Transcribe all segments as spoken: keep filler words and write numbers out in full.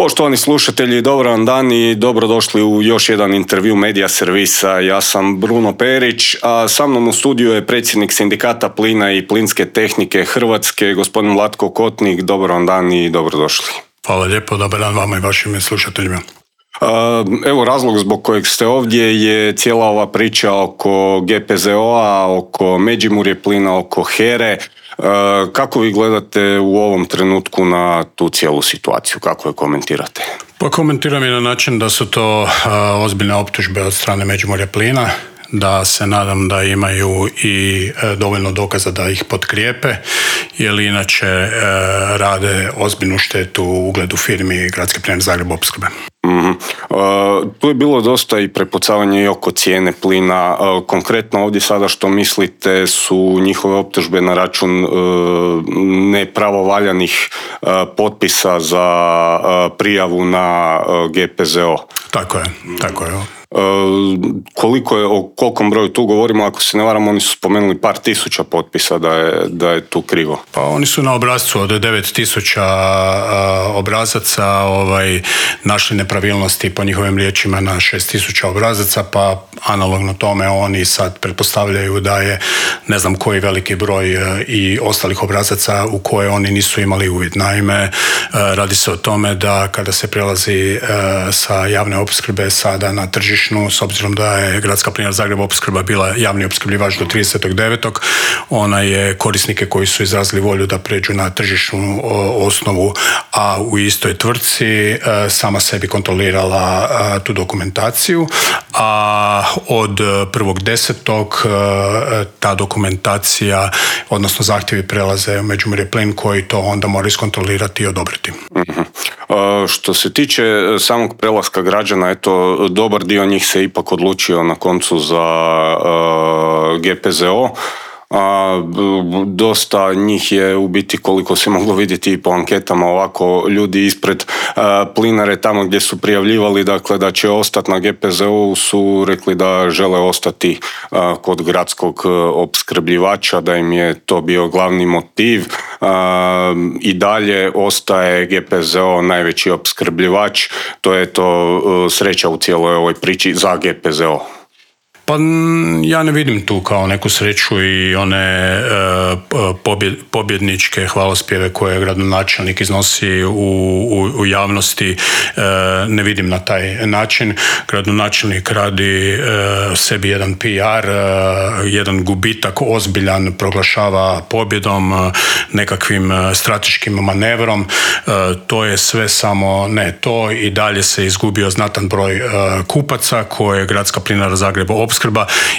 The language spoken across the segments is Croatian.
Poštovani slušatelji, dobar vam dan i dobrodošli u još jedan intervju Medija servisa. Ja sam Bruno Perić, a sa mnom u studiju je predsjednik Sindikata plina i plinske tehnike Hrvatske, gospodin Vlatko Kotnik. Dobar vam dan i dobrodošli. Hvala lijepo, dobar dan vama i vašim slušateljima. Evo, razlog zbog kojeg ste ovdje je cijela ova priča oko G P Z O-a, oko Međimurje plina, oko HERE. Kako vi gledate u ovom trenutku na tu cijelu situaciju? Kako je komentirate? Pa komentiram je na način da su to ozbiljne optužbe od strane Međimurja plina, da se nadam da imaju i dovoljno dokaza da ih potkrijepe, jer inače rade ozbiljnu štetu u ugledu firmi Gradske plinare Zagreb opskrbe. Mm-hmm. Uh, tu je bilo dosta i prepucavanje i oko cijene plina. Uh, konkretno ovdje sada što mislite su njihove optužbe na račun uh, nepravovaljanih uh, potpisa za uh, prijavu na uh, G P Z O. Tako je, tako je. Uh, koliko je, o kolikom broju tu govorimo? Ako se ne varam, oni su spomenuli par tisuća potpisa da je, da je tu krivo. Pa oni su na obrazcu od devet tisuća obrazaca ovaj, našli nepravilnosti po njihovim riječima na šest tisuća obrazaca, pa analogno tome oni sad pretpostavljaju da je ne znam koji veliki broj i ostalih obrazaca u koje oni nisu imali uvid. Naime, radi se o tome da kada se prelazi sa javne opskrbe sada na tržištu, s obzirom da je Gradska plinara Zagreb opskrba bila javni opskrbljivač do tridesetog devetog ona je korisnike koji su izrazili volju da pređu na tržišnu osnovu, a u istoj tvrtci sama sebi kontrolirala tu dokumentaciju, a od prvog desetog ta dokumentacija, odnosno zahtjevi prelaze u Međimurje plin koji to onda mora iskontrolirati i odobriti. Mm-hmm. Što se tiče samog prelaska građana, eto, dobar dio njih se ipak odlučio na koncu za uh, G P Z O. A, dosta njih je u biti, koliko se moglo vidjeti i po anketama, ovako ljudi ispred a, plinare tamo gdje su prijavljivali dakle da će ostati na G P Z O su rekli da žele ostati a, kod gradskog opskrbljivača, da im je to bio glavni motiv. A, i dalje ostaje G P Z O najveći opskrbljivač. To je to sreća u cijeloj ovoj priči za G P Z O. Pa ja ne vidim tu kao neku sreću i one e, pobjed, pobjedničke hvalospjeve koje gradonačelnik iznosi u, u, u javnosti, e, ne vidim na taj način. Gradonačelnik radi e, sebi jedan P R, e, jedan gubitak ozbiljan proglašava pobjedom, e, nekakvim strateškim manevrom. E, to je sve samo ne to, i dalje se izgubio znatan broj e, kupaca koje Gradska plinara Zagreb opskrba,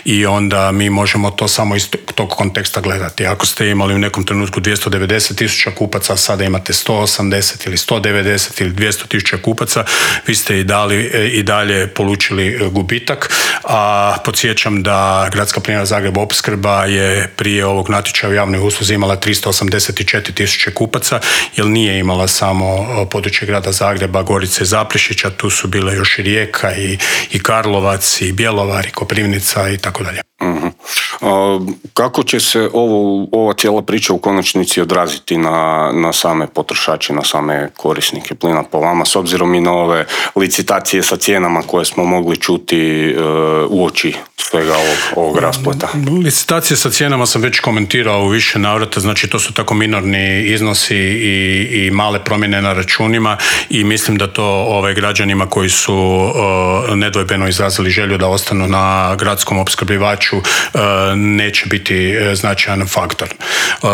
i onda mi možemo to samo iz tog konteksta gledati. Ako ste imali u nekom trenutku dvjesto devedeset tisuća kupaca, sada imate sto osamdeset ili sto devedeset ili dvjesto tisuća kupaca, vi ste i, dali, i dalje polučili gubitak. A podsjećam da Gradska plinara Zagreb opskrba je prije ovog natječaja u javnoj usluzi imala tristo osamdeset četiri tisuće kupaca, jer nije imala samo područje grada Zagreba, Gorice i Zaprešića, tu su bile još i Rijeka i, i Karlovac i Bjelovar i Koprivnica i tako dalje. Uh-huh. Kako će se ovo, ova cijela priča u konačnici odraziti na, na same potrošače, na same korisnike plina po vama, s obzirom i na ove licitacije sa cijenama koje smo mogli čuti uh, uoči svega ovog, ovog raspleta? Licitacije sa cijenama sam već komentirao u više navrata, znači to su tako minorni iznosi i, i male promjene na računima, i mislim da to ovaj, građanima koji su uh, nedvojbeno izrazili želju da ostanu na gradskom opskrbljivaču uh, neće biti značajan faktor. Uh,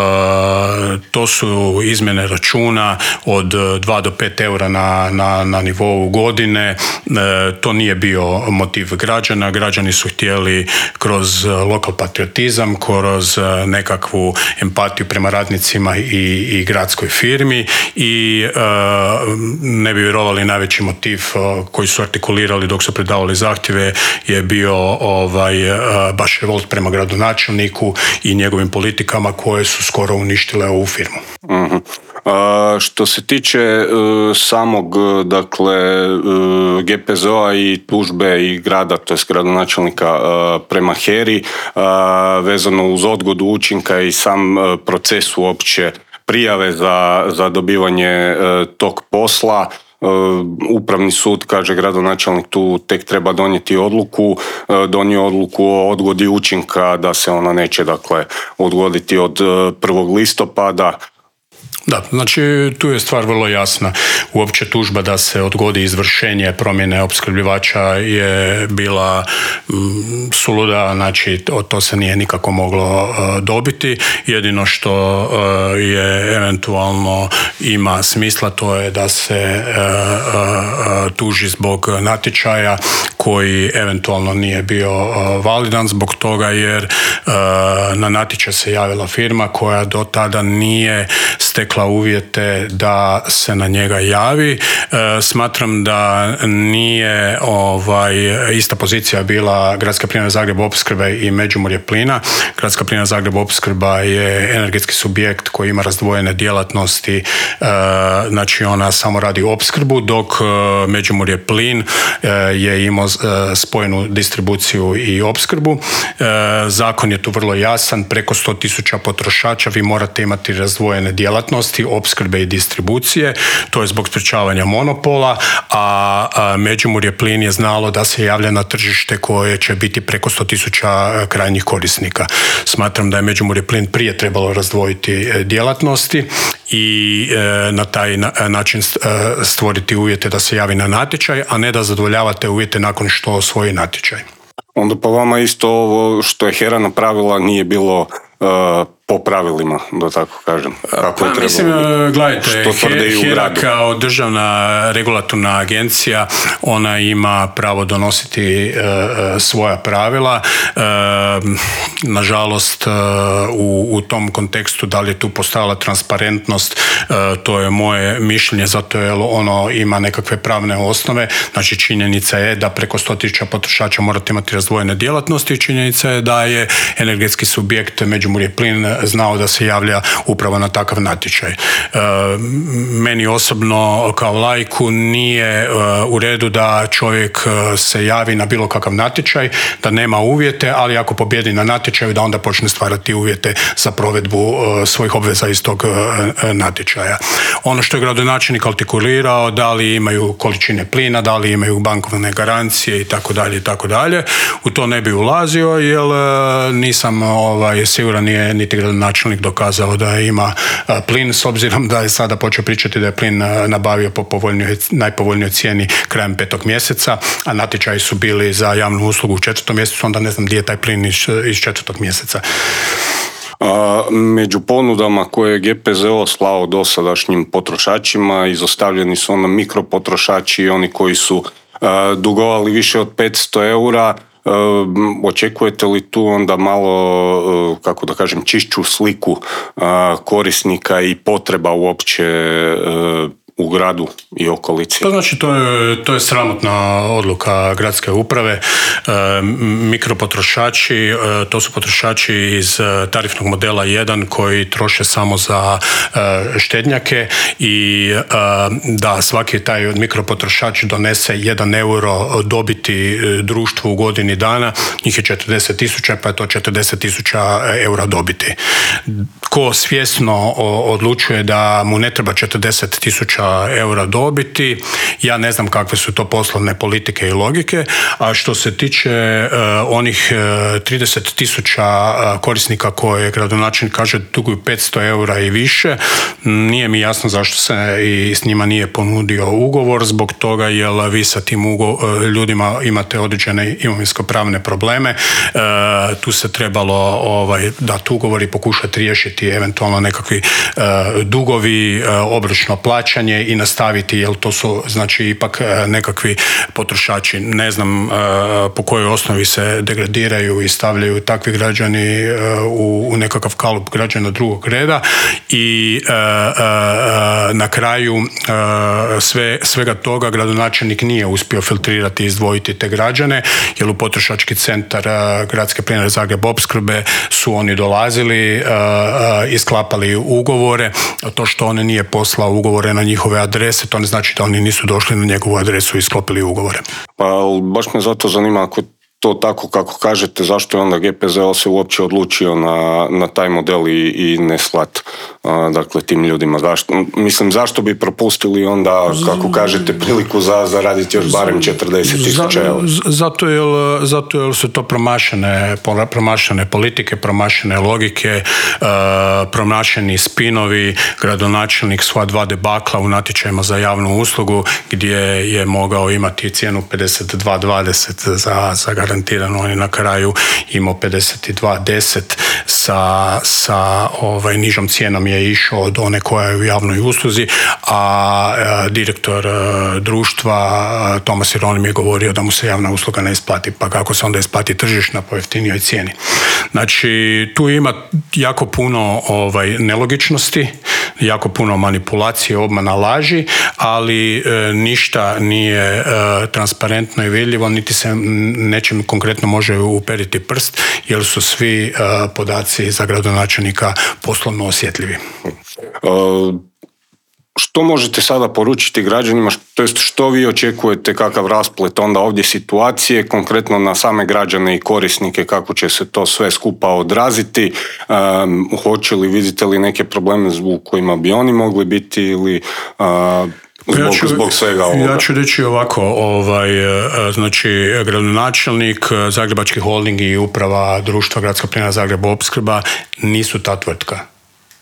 to su izmjene računa od dva do pet eura na, na, na nivou godine. Uh, to nije bio motiv građana. Građani su htjeli kroz lokal patriotizam, kroz nekakvu empatiju prema radnicima i, i gradskoj firmi, i uh, ne bi vjerovali, najveći motiv uh, koji su artikulirali dok su predavali zahtjeve je bio ovaj, uh, baš revolt prema gradonačelniku i njegovim politikama koje su skoro uništile ovu firmu. Uh-huh. A, što se tiče uh, samog dakle uh, G P Z O-a i tužbe i grada, to je gradonačelnika uh, prema HERI, uh, vezano uz odgodu učinka i sam uh, proces uopće prijave za, za dobivanje uh, tog posla, Upravni sud, kaže gradonačelnik, tu tek treba donijeti odluku, donio odluku o odgodi učinka da se ona neće dakle odgoditi od prvog listopada. Da, znači tu je stvar vrlo jasna. Uopće tužba da se odgodi izvršenje promjene opskrbljivača je bila mm, suluda, znači to, to se nije nikako moglo uh, dobiti. Jedino što uh, je eventualno ima smisla, to je da se uh, uh, tuži zbog natječaja koji eventualno nije bio uh, validan zbog toga jer uh, na natječaj se javila firma koja do tada nije stekla uvjete da se na njega javi. E, smatram da nije ovaj, ista pozicija bila Gradska plinara Zagreb opskrbe i Međimurje plina. Gradska plinara Zagreb opskrba je energetski subjekt koji ima razdvojene djelatnosti, e, znači ona samo radi opskrbu, dok e, Međimurje plin e, je imao e, spojenu distribuciju i opskrbu. E, zakon je tu vrlo jasan, preko sto tisuća potrošača vi morate imati razdvojene djelatnosti opskrbe i distribucije, to je zbog sprječavanja monopola, a, a Međimurje plin je znalo da se javlja na tržište koje će biti preko sto tisuća krajnjih korisnika. Smatram da je Međimurje plin prije trebalo razdvojiti djelatnosti i e, na taj na, način stvoriti uvjete da se javi na natječaj, a ne da zadovoljavate uvjete nakon što osvoji natječaj. Onda po vama isto ovo što je HERA napravila nije bilo uh, po pravilima, da tako kažem. Kako pa, mislim, gledajte, HERA kao državna regulatorna agencija, ona ima pravo donositi uh, svoja pravila. Uh, nažalost, uh, u, u tom kontekstu da li je tu postojala transparentnost, uh, to je moje mišljenje, zato jer ono ima nekakve pravne osnove. Znači, činjenica je da preko sto tisuća potrošača morate imati razdvojene djelatnosti i činjenica je da je energetski subjekt Međimurje plin znao da se javlja upravo na takav natječaj. E, meni osobno kao laiku nije e, u redu da čovjek se javi na bilo kakav natječaj, da nema uvjete, ali ako pobjedi na natječaju da onda počne stvarati uvjete za provedbu e, svojih obveza iz tog e, natječaja. Ono što je gradonačelnik artikulirao, da li imaju količine plina, da li imaju bankovne garancije i tako dalje i tako dalje, u to ne bi ulazio jer e, nisam ovaj, siguran nije niti gradonačelnik dokazao da ima plin, s obzirom da je sada počeo pričati da je plin nabavio po povoljnijoj, najpovoljnijoj cijeni krajem petog mjeseca, a natječaji su bili za javnu uslugu u četvrtom mjesecu, onda ne znam gdje je taj plin iz, iz četvrtog mjeseca. A, među ponudama koje je G P Z O slao dosadašnjim potrošačima izostavljeni su ono mikropotrošači i oni koji su a, dugovali više od petsto eura. Uh, očekujete li tu onda malo, uh, kako da kažem, čišću sliku uh, korisnika i potreba uopće uh, u gradu i okolici? Pa znači, to je, to je sramotna odluka gradske uprave. E, mikropotrošači, e, to su potrošači iz tarifnog modela jedan koji troše samo za e, štednjake i e, da svaki taj mikropotrošač donese jedan euro dobiti društvu u godini dana, njih je četrdeset tisuća, pa je to četrdeset tisuća eura dobiti. Ko svjesno odlučuje da mu ne treba četrdeset tisuća eura dobiti, ja ne znam kakve su to poslovne politike i logike, a što se tiče uh, onih uh, trideset tisuća uh, korisnika koje gradonačelnik kaže duguju petsto eura i više, nije mi jasno zašto se i s njima nije ponudio ugovor, zbog toga jer vi sa tim ugo- ljudima imate određene imovinsko-pravne probleme, uh, tu se trebalo ovaj, dati ugovor i pokušati riješiti eventualno nekakvi uh, dugovi, uh, obročno plaćanje i nastaviti, jer to su znači ipak nekakvi potrošači. Ne znam uh, po kojoj osnovi se degradiraju i stavljaju takvi građani uh, u, u nekakav kalup građana drugog reda i uh, uh, na kraju uh, sve, svega toga gradonačelnik nije uspio filtrirati i izdvojiti te građane, jer u potrošački centar uh, Gradske plinare Zagreb opskrbe su oni dolazili uh, uh, i sklapali ugovore. To što on nije poslao ugovore na njihove adrese, to ne znači da oni nisu došli na njegovu adresu i sklopili ugovore. Pa baš me zato zanima, ako to tako kako kažete, zašto je onda G P Z O se uopće odlučio na, na taj model i, i ne slat dakle tim ljudima. Zašto, mislim, zašto bi propustili onda, kako kažete, priliku za zaraditi još barem četrdeset tisuća eura? Zato jer, zato jer su to promašene, promašene politike, promašene logike, promašeni spinovi. Gradonačelnik sva dva debakla u natječajima za javnu uslugu gdje je mogao imati cijenu pedeset dva dvadeset za, za garantirano, on je na kraju imao pedeset dva deset sa, sa ovaj, nižom cijenom je išao od one koja je u javnoj usluzi, a e, direktor e, društva e, Tomas Jeronim je govorio da mu se javna usluga ne isplati, pa kako se onda isplati tržišna po jeftinijoj cijeni. Znači, tu ima jako puno ovaj, nelogičnosti, jako puno manipulacije, obmana, laži, ali e, ništa nije e, transparentno i vidljivo, niti se nečim konkretno može uperiti prst, jer su svi e, podaci za gradonačelnika poslovno osjetljivi. Uh, što možete sada poručiti građanima, to jest što vi očekujete, kakav rasplet onda ovdje situacije, konkretno na same građane i korisnike, kako će se to sve skupa odraziti, um, hoće li, vidite li neke probleme zbog kojima bi oni mogli biti ili uh, Zbog, ja ću, zbog svega ovoga. Ja ću reći ovako, ovaj, znači gradonačelnik, Zagrebački holding i uprava društva Gradska plinara Zagreb Opskrba nisu ta tvrtka.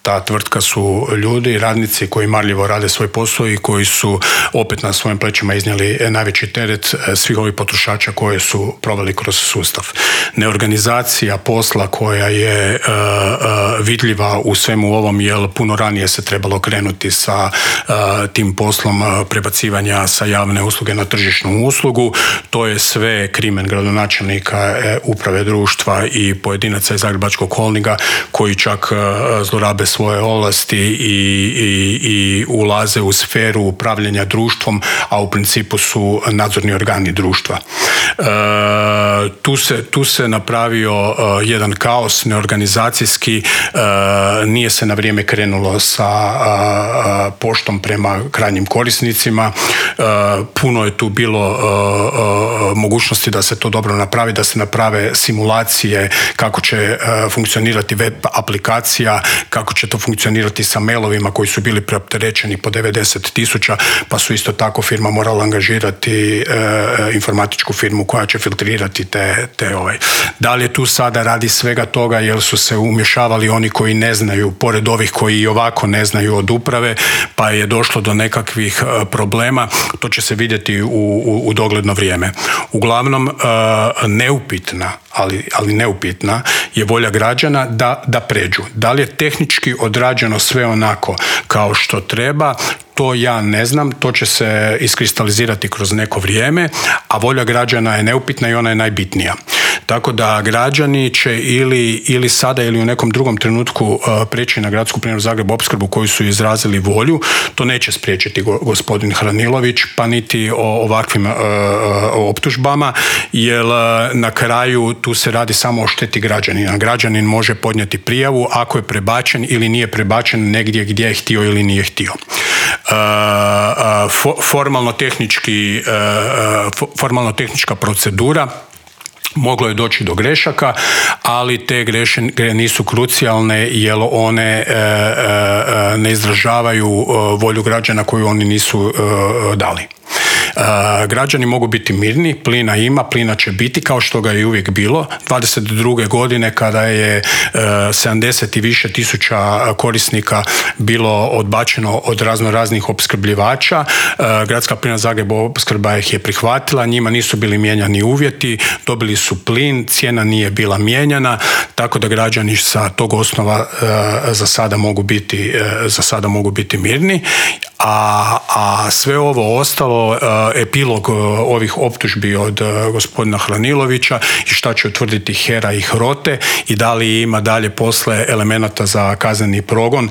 Ta tvrtka su ljudi, radnici koji marljivo rade svoj posao i koji su opet na svojim plećima iznijeli najveći teret svih ovih potrošača koje su proveli kroz sustav. Neorganizacija posla koja je uh, uh, vidljiva u svemu ovom, jer puno ranije se trebalo krenuti sa uh, tim poslom uh, prebacivanja sa javne usluge na tržišnu uslugu. To je sve krimen gradonačelnika, uh, uprave društva i pojedinaca iz Zagrebačkog holdinga koji čak uh, zlorabe svoje ovlasti i, i, i ulaze u sferu upravljanja društvom, a u principu su nadzorni organi društva. E, tu, se, tu se napravio uh, jedan kaos neorganizacijski, uh, nije se na vrijeme krenulo sa uh, poštom prema krajnjim korisnicima, uh, puno je tu bilo uh, uh, mogućnosti da se to dobro napravi, da se naprave simulacije kako će uh, funkcionirati web aplikacija, kako će to funkcionirati sa mailovima koji su bili preopterećeni po devedeset tisuća, pa su isto tako firma morala angažirati e, informatičku firmu koja će filtrirati te, te ovaj. Da li je tu sada radi svega toga jer su se umješavali oni koji ne znaju, pored ovih koji i ovako ne znaju od uprave, pa je došlo do nekakvih e, problema, to će se vidjeti u, u, u dogledno vrijeme. Uglavnom, e, neupitna, ali, ali neupitna je volja građana da, da pređu. Da li je tehnički odrađeno sve onako kao što treba, to ja ne znam, to će se iskristalizirati kroz neko vrijeme, a volja građana je neupitna i ona je najbitnija. Tako da građani će ili, ili sada ili u nekom drugom trenutku uh, preći na Gradsku plinaru Zagreb Opskrbu koju su izrazili volju. To neće spriječiti go, gospodin Hranilović, pa niti o ovakvim uh, optužbama, jer uh, na kraju tu se radi samo o šteti građanina. Građanin može podnijeti prijavu ako je prebačen ili nije prebačen negdje gdje je htio ili nije htio. Uh, uh, for, formalno tehnički, uh, formalno tehnička procedura, moglo je doći do grešaka, ali te greške nisu krucijalne jer one e, e, ne izražavaju volju građana koju oni nisu e, dali. E, građani mogu biti mirni, plina ima, plina će biti kao što ga je uvijek bilo. dvadeset druge godine kada je e, sedamdeset i više tisuća korisnika bilo odbačeno od razno raznih opskrbljivača, e, Gradska plina Zagreb Opskrba ih je prihvatila, njima nisu bili mijenjani uvjeti, dobili su plin, cijena nije bila mijenjana, tako da građani sa tog osnova e, za sada mogu biti, e, za sada mogu biti mirni. A, a sve ovo ostalo, uh, epilog uh, ovih optužbi od uh, gospodina Hranilovića i šta će utvrditi HERA i HROTE i da li ima dalje posle elemenata za kazneni progon,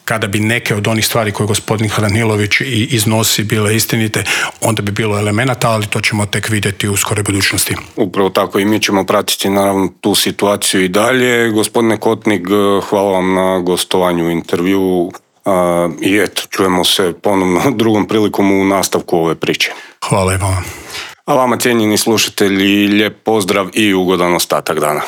kada bi neke od onih stvari koje gospodin Hranilović i iznosi bile istinite, onda bi bilo elemenata, ali to ćemo tek vidjeti u skoroj budućnosti. Upravo tako i mi ćemo pratiti naravno tu situaciju i dalje. Gospodine Kotnik, hvala vam na gostovanju u intervjuu. Uh, i eto, čujemo se ponovno drugom prilikom u nastavku ove priče. Hvala i vama. A vama, cijenjeni slušatelji, lijep pozdrav i ugodan ostatak dana.